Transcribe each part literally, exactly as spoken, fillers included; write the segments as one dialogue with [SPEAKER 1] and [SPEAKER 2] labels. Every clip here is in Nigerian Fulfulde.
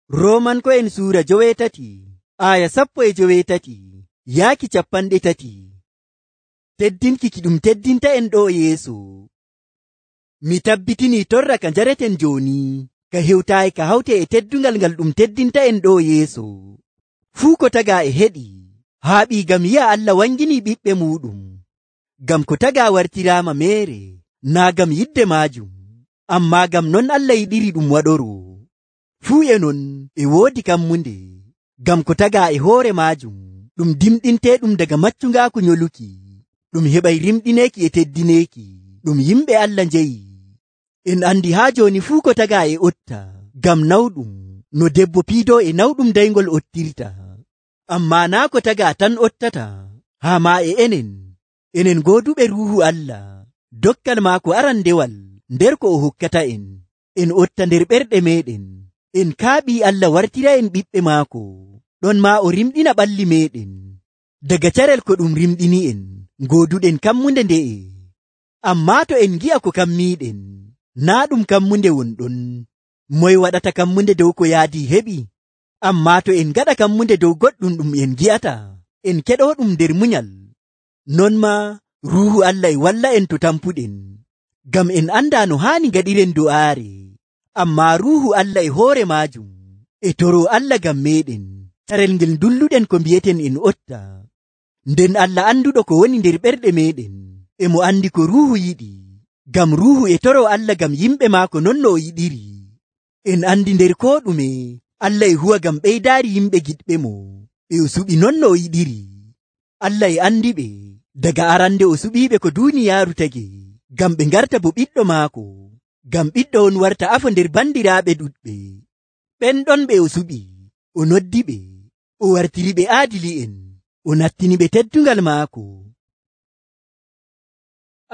[SPEAKER 1] Roomanko'en suura joweetati aya sappo e joweetati yaaki capanɗe tati. Teddinki ki ɗum teddinta en ɗo yeeso. Mi tabbitinii torra ka njareten jooni ka hewtaayi ka hawte e teddungal ngal ɗum teddinta en ɗo yeeso. Fuu ko tagaa e heɗi haaɓii ngam yi'a Allah wanginii ɓiɓɓe muuɗum. Ngam ko tagaa wartiraama meere naa ngam yidde maajum, ammaa ngam non Allah yiɗiri ɗum waɗoroo. Fuu e non e woodi kammunde, ngam ko tagaa e hoore maajum ɗum dimɗinteeɗum daga maccungaaku nyoluki, ɗum heɓay rimɗineeki e teddineeki, ɗum yimɓe Allah njeyi. En andi haa jooni fuu ko tagaa e otta, ngam nawɗum no debbo piidoo e nawɗum dayngol ottirta. Ammaa naa ko tagaa tan ottata, haa maa e enen, enen gooduɓe Ruuhu Allah, dokkal maako arandewal nder ko o hokkata en, en otta nder ɓerɗe meeɗen, en kaaɓii Allah wartira en ɓiɓɓe maako, ɗon maa o rimɗina ɓalli meeɗen. Daga carel ko ɗum rimɗini en, gooduɗen kammunde nde'e. Ammaa to en ngi'a ko kammiiɗen, naa ɗum kammunde wonɗon, moye waɗata kammunde dow ko yaadii heɓi? Ammaa to en ngaɗa kammunde dow goɗɗum ɗum en ngi'ata, en keɗoo ɗum nder munyal. Non maa Ruuhu Allah e walla en to tampuɗen, ngam en andaa no haani ngaɗiren do'aare. Ammaa Ruuhu Allah e hoore maajum e toroo Allah ngam meeɗen, carel ngel ndulluɗen ko mbi'eten en otta. Nden Allah anduɗo ko woni nder ɓerɗe meeɗen, e mo andi ko Ruuhu yiɗi, ngam Ruuhu e toroo Allah ngam yimɓe maako non no o yiɗiri. En andi nder koo ɗume Allah e huwa ngam ɓeydaari yimɓe giɗɓe mo, e o suɓi non no o yiɗiri. Allah e andiɓe daga arande o suɓiiɓe ko duuniyaaru tagi, ngam ɓe ngarta bo ɓiɗɗo maako, ngam ɓiɗɗo on warta afo nder bandiraaɓe ɗuɗɓe. Ɓen ɗon ɓe o suɓi, o noddiɓe, o wartiriɓe aadili'en, o nattiniɓe teddungal maako.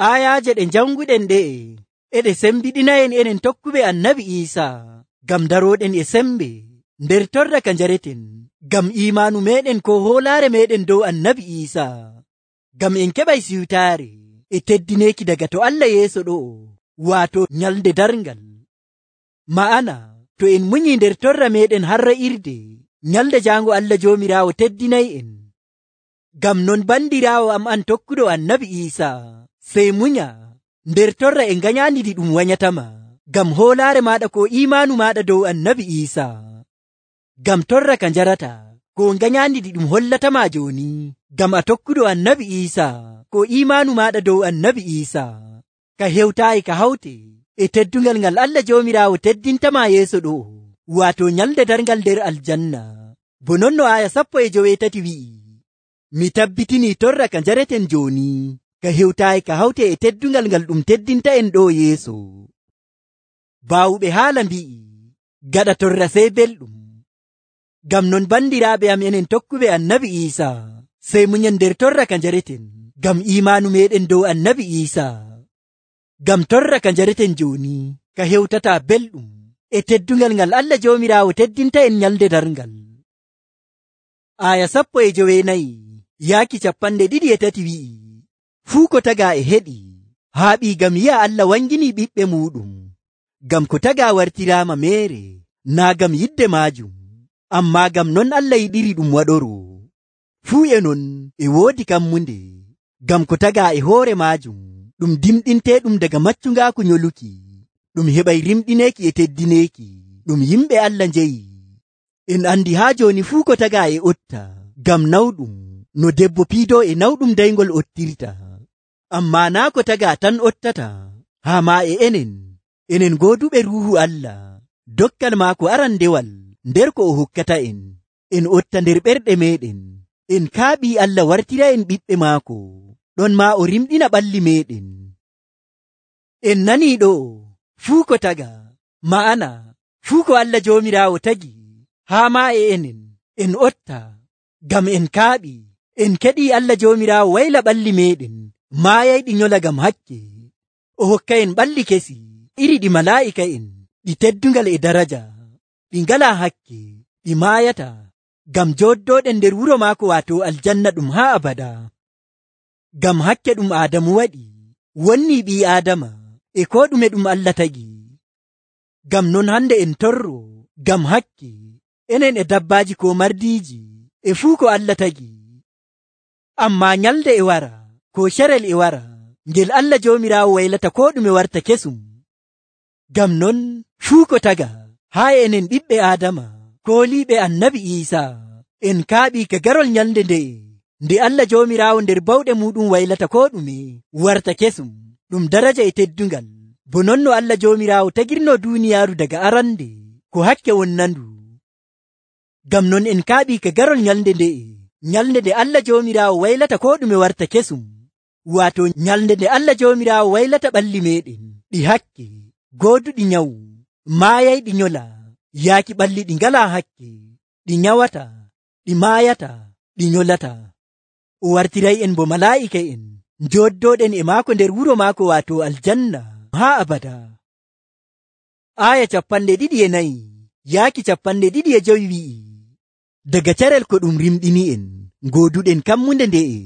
[SPEAKER 1] Aayaaje ɗe janguɗen ɗe'e e ɗe sembiɗina'en enen tokkuɓe Annabi Iisaa, ngam darooɗen e sembe nder torra ka njareten, ngam iimaanu meeɗen ko hoolaare meeɗen dow Annabi Iisaa, ngam en keɓay siwtaare e teddineeki daga to Allah yeeso ɗo'o, waato nyalde darngal. Ma'ana to en munyii nder torra meeɗen harra irde, nyalde jaango Allah Joomiraawo teddinay'en. Ngam non bandiraawo am an tokkuɗo Annabi Iisaa, sey munya nder torra e nganyaandi ɗi ɗum wanyatama, ngam hoolaare maaɗa ko iimaanu maaɗa dow Annabi Iisaa. Ngam torra ka njarata ko nganyaandi ɗi ɗum hollatama jooni, ngam a tokkuɗo Annabi Iisaa, ko iimaanu maaɗa dow Annabi Iisaa ka hewtaayi ka hawte e teddungal ngal Allah Joomiraawo teddintama yeeso ɗo'o, waato nyalde darngal nder aljanna. Bo non no aya sappo e joweetati wi'i, mi tabbitinii torra ka njareten jooni ka hewtaayi ka hawte e teddungal ngal ɗum teddinta en ɗo yeeso. Baawuɓe haala mbi'i, gaɗa torra sey belɗum. Ngam non bandiraaɓe am enen tokkuɓe Annabi Iisaa, sey munyen nder torra ka njareten, ngam iimaanu meeɗen dow Annabi Iisaa. Ngam torra ka njareten jooni ka hewtata belɗum e teddungal ngal Allah Joomiraawo teddinta en nyalde darngal. Aya sappo e joweenayi yaaki capanɗe ɗiɗi e tati wi'i, fuu ko tagaa e heɗi haaɓii ngam yi'a Allah wanginii ɓiɓɓe muuɗum. Ngam ko tagaa wartiraama meere naa ngam yidde maajum, ammaa ngam non Allah yiɗiri ɗum waɗoroo. Fuu e non e woodi kammunde, ngam ko tagaa e hoore maajum ɗum dimɗinteeɗum daga maccungaaku nyoluki, ɗum heɓay rimɗineeki e teddineeki, ɗum yimɓe Allah njeyi. En andi haa jooni fuu ko tagaa e otta, ngam nawɗum no debbo piidoo e nawɗum dayngol ottirta. Ammaa naa ko tagaa tan ottata, haa maa e enen, enen gooduɓe Ruuhu Allah, dokkal maako arandewal nder ko o hokkata en, en otta nder ɓerɗe meeɗen, en kaaɓii Allah wartira en ɓiɓɓe maako, ɗon maa o rimɗina ɓalli meeɗen. En nanii ɗo fuu ko tagaa, ma'ana fuu ko Allah Joomiraawo tagi, haa maa e enen, en otta, ngam en kaaɓii, en keɗii Allah Joomiraawo wayla ɓalli meeɗen, maayayɗi nyola ngam hakke, o hokka en ɓalli kesi, iri ɗi malaa'ika'en, ɗi teddungal e daraja, ɗi ngalaa hakke, ɗi maayata, ngam jooddooɗen nder wuro maako waato aljanna ɗum haa abada. Ngam hakke ɗum Aadamu waɗi, wonnii ɓii Aadama e koo ɗume ɗum Allah tagi. Ngam non hande en torro, ngam hakke, enen e dabbaaji ko mardiiji e fuu ko Allah tagi. Ammaa nyalde e wara ko carel e wara ngel Allah Joomiraawo waylata koo ɗume warta kesum. Ngam non fuu ko taga haa enen ɓiɓɓe Aadama kooliiɓe Annabi Iisaa en kaaɓii ka garol nyalde nde'e nde Allah Joomiraawo nder bawɗe muuɗum waylata koo ɗume warta kesum ɗum daraja e teddungal, bo non no Allah Joomiraawo tagirnoo duuniyaaru daga arande ko hakke wonnandu. Ngam non en kaaɓii ka garol nyalde nde'e, nyalde nde Allah Joomiraawo waylata koo ɗume warta kesum, waato nyalde nde Allah Joomiraawo waylata ɓalli meeɗen ɗi hakke, gooduɗi nyawu, maayayɗi nyola, yaaki ɓalli ɗi ngalaa hakke, ɗi nyawata, ɗi maayata, ɗi nyolata. O wartiray'en bo malaa'ika'en njooddooɗen e maako nder wuro maako waato aljanna haa abada. Aaya capanɗe ɗiɗi e nayi yaaki capanɗe ɗiɗi e jowi wi'i, daga carel ko ɗum rimɗini'en ngooduɗen kammunde nde'e,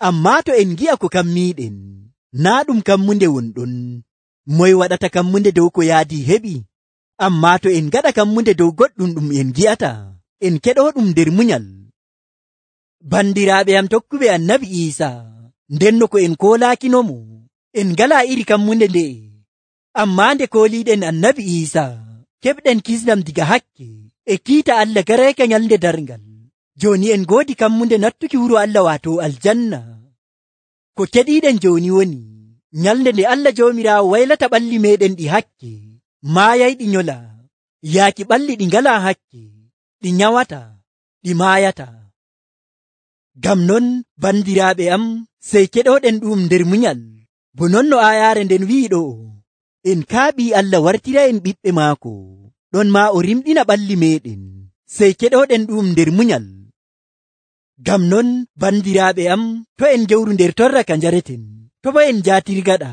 [SPEAKER 1] ammaa to en ngi'a ko kammiiɗen naa ɗum kammunde wonɗon, moye waɗata kammunde dow ko yaadi heɓi? Ammaa to en ngaɗa kammunde dow goɗɗum ɗum en ngi'ata, en keɗoo ɗum nder munyal. Bandiraaɓe am tokkuɓe Annabi Iisaa, ndenno ko en koolaakinomo en ngalaa iri kammunde nde'e, ammaa nde kooliiɗen Annabi Iisaa keɓɗen kisnam diga hakke e kiita Allah gareeka nyalnde darngal. Jooni en ngoodi kammunde nattuki wuro Allah waato aljanna. Ko keɗiiɗen jooni woni nyalnde nde Allah Joomiraawo waylata ɓalli meeɗen ɗi hakke, maayayɗi nyola, yaaki ɓalli ɗi ngalaa hakke, ɗi nyawata, ɗi maayata. Ngam non bandiraaɓe am, sey keɗooɗen ɗum nder munyal, bo non no aayaare nden wi'i ɗo, en kaaɓii Allah wartira'en ɓiɓɓe maako, ɗon maa o rimɗina ɓalli meeɗen, sey keɗooɗen ɗum nder munyal. Ngam non bandiraaɓe am, to en gewru nder torra ka njareten, to bo en jaatirgaɗa,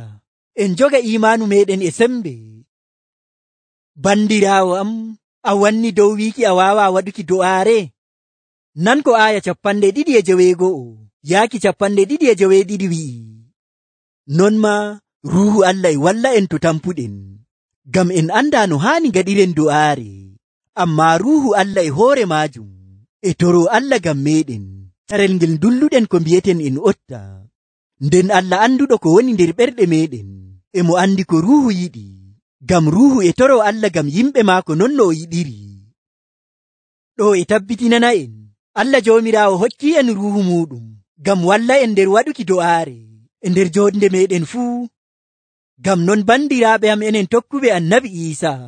[SPEAKER 1] en joga iimaanu meeɗen e sembe. Bandiraawo am, a wanni dow wiiki a waawaa waɗuki do'aare? Nan ko aaya capanɗe ɗiɗi e joweego'o yaaki capanɗe ɗiɗi e joweeɗiɗi wi'i, non maa Ruuhu Allah e walla en to tampuɗen, ngam en andaa no haani ngaɗiren do'aare, ammaa Ruuhu Allah e hoore maajum e toroo Allah ngam meeɗen carel ngel dulluɗen ko mbi'eten en otta. Nden Allah anduɗo ko woni nder ɓerɗe meeɗen e mo andi ko Ruuhu yiɗi, ngam Ruuhu e toroo Allah ngam yimɓe maako non no o yiɗiri. Ɗo e tabbitinana en Allah Joomiraawo hokki en Ruuhu muuɗum ngam walla en nder waɗuki do'aare e nder joonde meeɗen fuu. Ngam non bandiraaɓe am enen tokkuɓe Annabi Iisaa,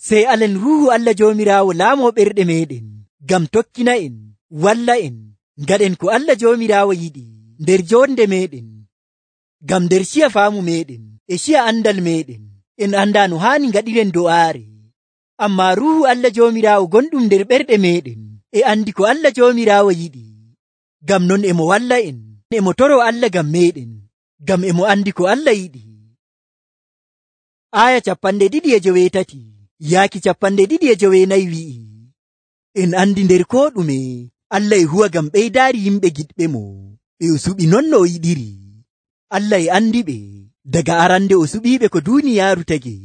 [SPEAKER 1] sey alen Ruuhu Allah Joomiraawo laamoo ɓerɗe meeɗen ngam tokkina en, walla en, ngaɗen ko Allah Joomiraawo yiɗi nder joonde meeɗen. Ngam nder ciya faamu meeɗen e ciya andal meeɗen en andaa no haani ngaɗiren do'aare, ammaa Ruuhu Allah Joomiraawo gonɗum nder ɓerɗe meeɗen e andi ko Allah Joomiraawo yiɗi. Ngam non emo walla en, emo toroo Allah ngam meeɗen, ngam emo andi ko Allah yiɗi. Aaya capanɗe ɗiɗi e joweetati yaaki capanɗe ɗiɗi e joweenayi wi'i, en andi nder koo ɗume Allah e huwa ngam ɓeydaari yimɓe giɗɓe mo e o suɓi non no o yiɗiri. Allah e andi ɓe daga arande o suɓiiɓe ko duuniyaaru tagi,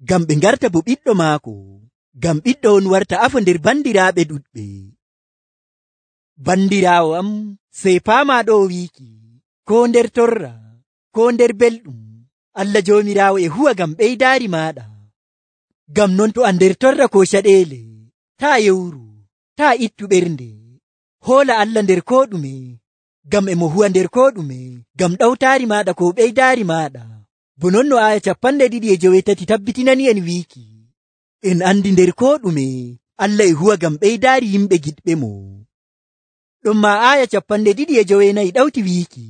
[SPEAKER 1] ngam ɓe ngarta bo ɓiɗɗo maako, ngam ɓiɗɗo on warta afo nder bandiraaɓe ɗuɗɓe. Bandiraawo am, sey paamaa ɗo wiiki, koo nder torra, koo nder belɗum, Allah Joomiraawo e huwa ngam ɓeydaari maaɗa. Ngam non to a nder torra ko caɗeele, taa yewru, taa ittu ɓernde, hoola Allah nder koo ɗume, ngam emo huwa nder koo ɗume ngam ɗawtaari maaɗa ko ɓeydaari maaɗa. Bo non no aaya capanɗe ɗiɗi e joweetati tabbitinani en wiiki, en andi nder koo ɗume Allah e huwa ngam ɓeydaari yimɓe giɗɓe mo. Ɗum maa aaya capanɗe ɗiɗi e joweenayi ɗawti wiiki,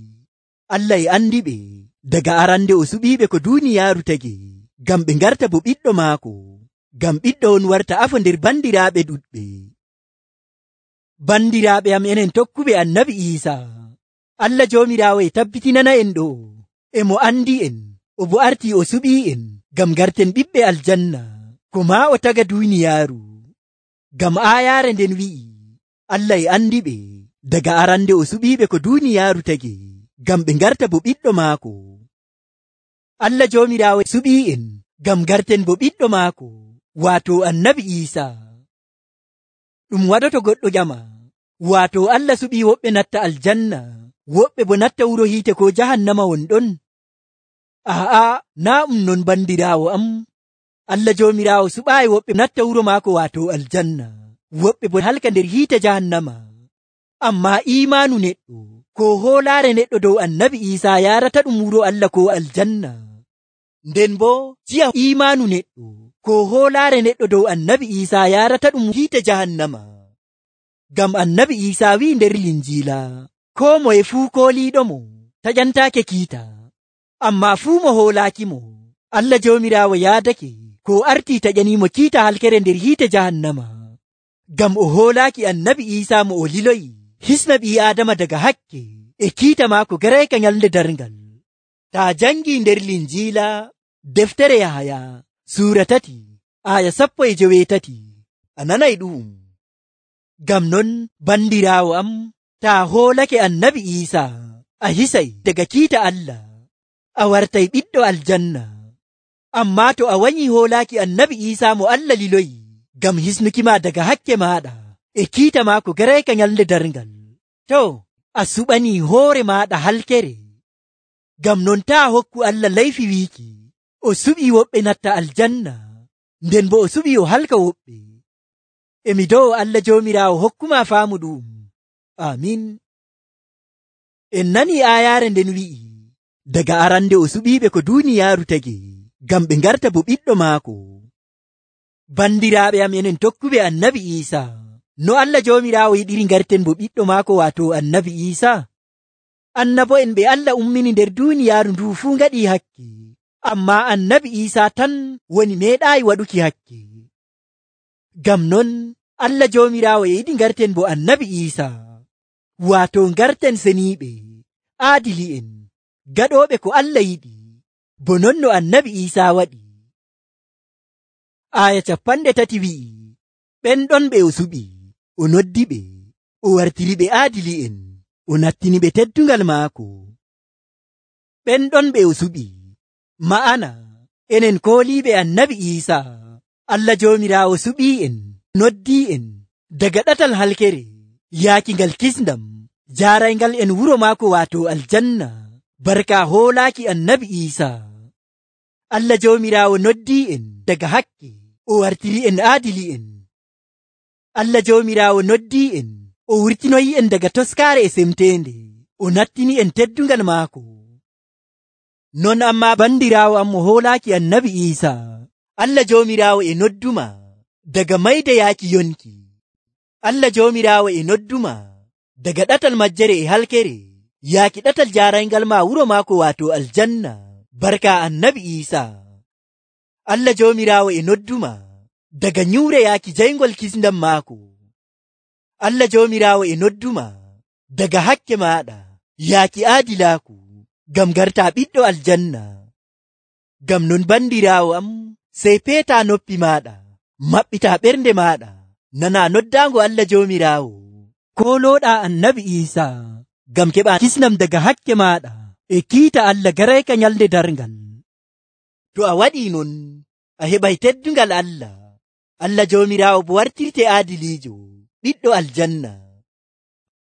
[SPEAKER 1] Allah e andi ɓe daga arande o suɓiiɓe ko duuniyaaru tagi, ngam ɓe ngarta bo ɓiɗɗo maako, ngam ɓiɗɗo on warta afo nder bandiraaɓe ɗuɗɓe. Bandiraaɓe am enen tokkuɓe Annabi Iisaa, Allah Joomiraawo e tabbitinana en ɗo, emo andi en, o bo artii o suɓii en ngam garten ɓiɓɓe aljanna, ko maa o taga duuniyaaru. Ngam aayaare nden wi'i, Allah e andi ɓe daga arande o suɓiiɓe ko duuniyaaru tagi, ngam ɓe ngarta bo ɓiɗɗo maako. Allah Joomiraawo suɓii en ngam garten bo ɓiɗɗo maako, waato Annabi Iisaa. ɗum waɗoto goɗɗo ƴama, waato Allah suɓii woɓɓe natta aljanna, woɓɓe bo natta wuro hiite ko jahannama wonɗon. Aa, naa ɗum non bandiraawo am. Allah Joomiraawo suɓaayi woɓɓe natta wuro maako waato aljanna, woɓɓe bo halka nder hiite jahannama. Ammaa iimaanu neɗɗo ko hoolaare neɗɗo dow annabi Iisaa yaarata ɗum wuro Allah ko aljanna. Nden bo ciya iimaanu neɗɗo ko hoolaare neɗɗo dow annabi Iisaa yaarata ɗum hiite jahannama. Ngam annabi Iisaa wi'i nder Linjiila, koo moye fuu kooliiɗomo taƴantaake kiita, ammaa fuu mo hoolaakimo Allah Joomiraawo yaadake ko artii taƴaniimo kiita halkere nder hiite jahannama. Ngam o hoolaaki annabi Iisaa mo o liloyi hisna ɓii Aadama daga hakke e kiita maako garayka nyalnde darngal. Taa jangii nder Linjiila deftere Yahaya suura tati aya sappo e joweetati a nanay ɗu'um. Ngam non bandiraawo am, taa hoolake annabi Iisaa a hisay daga kiita Allah, a wartay ɓiɗɗo aljanna. Ammaa to a wanyi hoolaaki annabi Iisaa mo Allah liloyi ngam hisnukima daga hakke maaɗa e kiita maako garayka nyalnde darngal, to a suɓanii hoore maaɗa halkere. Ngam non taa hokku Allah layfi wiiki o suɓii woɓɓe natta aljanna, nden bo o suɓii o halka woɓɓe. Emi dow Allah Joomiraawo hokkuma faamu ɗum. Amin. En nanii aayaare nden wi'i, daga arande o suɓiiɓe ko duuniyaaru tagi ngam ɓe ngarta bo ɓiɗɗo maako. Bandiraaɓe am enen tokkuɓe annabi Iisaa, no Allah Joomiraawo yiɗiri ngarten bo ɓiɗɗo maako waato annabi Iisaa. Annabo'en ɓe Allah ummini nder duuniyaaru ndu fuu ngaɗii hakke, ammaa annabi Iisaa tan woni meeɗaayi waɗuki hakke. Ngam non Allah Joomiraawo e yiɗi ngarten bo annabi Iisaa, waato ngarten seniiɓe, aadili'en, gaɗooɓe ko Allah yiɗi, bo non no annabi Iisaa waɗi. Aya capanɗe tati wi'i, ɓen ɗon ɓe o suɓi, o noddi ɓe, o wartiri ɓe aadili'en, o nattini ɓe teddungal maako. Ɓen ɗon ɓe o suɓi, ma'ana enen kooliiɓe annabi Iisaa, Allah Joomiraawo suɓii'en, noddii'en daga ɗatal halkere yaaki ngal kisndam, jaarayngal en wuro maako waato aljanna, barka hoolaaki annabi Iisaa. Allah Joomiraawo noddii'en daga hakke, o wartiri'en aadili'en. Allah Joomiraawo noddii'en, o wurtinoyi'en daga toskaare e semteende, o nattini'en teddungal maako. Non ammaa bandiraawo am mo hoolaaki annabi Iisaa, Allah Joomiraawo e nodduma daga mayde yaaki yonki. Allah Joomiraawo e nodduma daga ɗatal majjere e halkere yaaki ɗatal jaarayngal ma wuro maako waato aljanna, barka annabi Iisaa. Allah Joomiraawo e nodduma daga nyuure yaaki jayngol kisndam maako. Allah Joomiraawo e nodduma daga hakke maaɗa yaaki aadilaaku, ngam gartaa ɓiɗɗo aljanna. Ngam non bandiraawo am, sey peetaa noppi maaɗa, maɓɓitaa ɓernde maaɗa, nanaa noddaango Allah Joomiraawo, koolooɗaa annabi Iisaa, ngam keɓaa kisnam daga hakke maaɗa e kiita Allah garayka nyalnde darngal. To a waɗii non, a heɓay teddungal Allah, Allah Joomiraawo bo wartirte aadiliijo, ɓiɗɗo aljanna.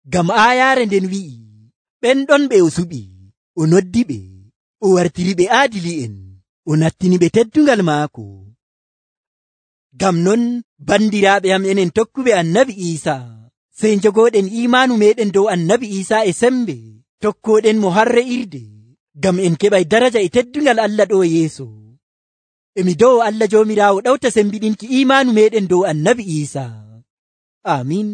[SPEAKER 1] Ngam aayaare nden wi'i, ɓen ɗon ɓe o suɓi, o noddi ɓe, o wartiri ɓe aadili'en, o nattini ɓe teddungal maako. Ngam non bandiraaɓe am enen tokkuɓe annabi Iisaa, sey njogooɗen iimaanu meɗen dow annabi Iisaa e sembe, tokkooɗen mo har re'irde, ngam en keɓay daraja e teddungal Allah ɗo yeeso. Emi dow Allah Joomiraawo ɗawta sembiɗinki iimaanu meɗen dow annabi Iisaa. Amin.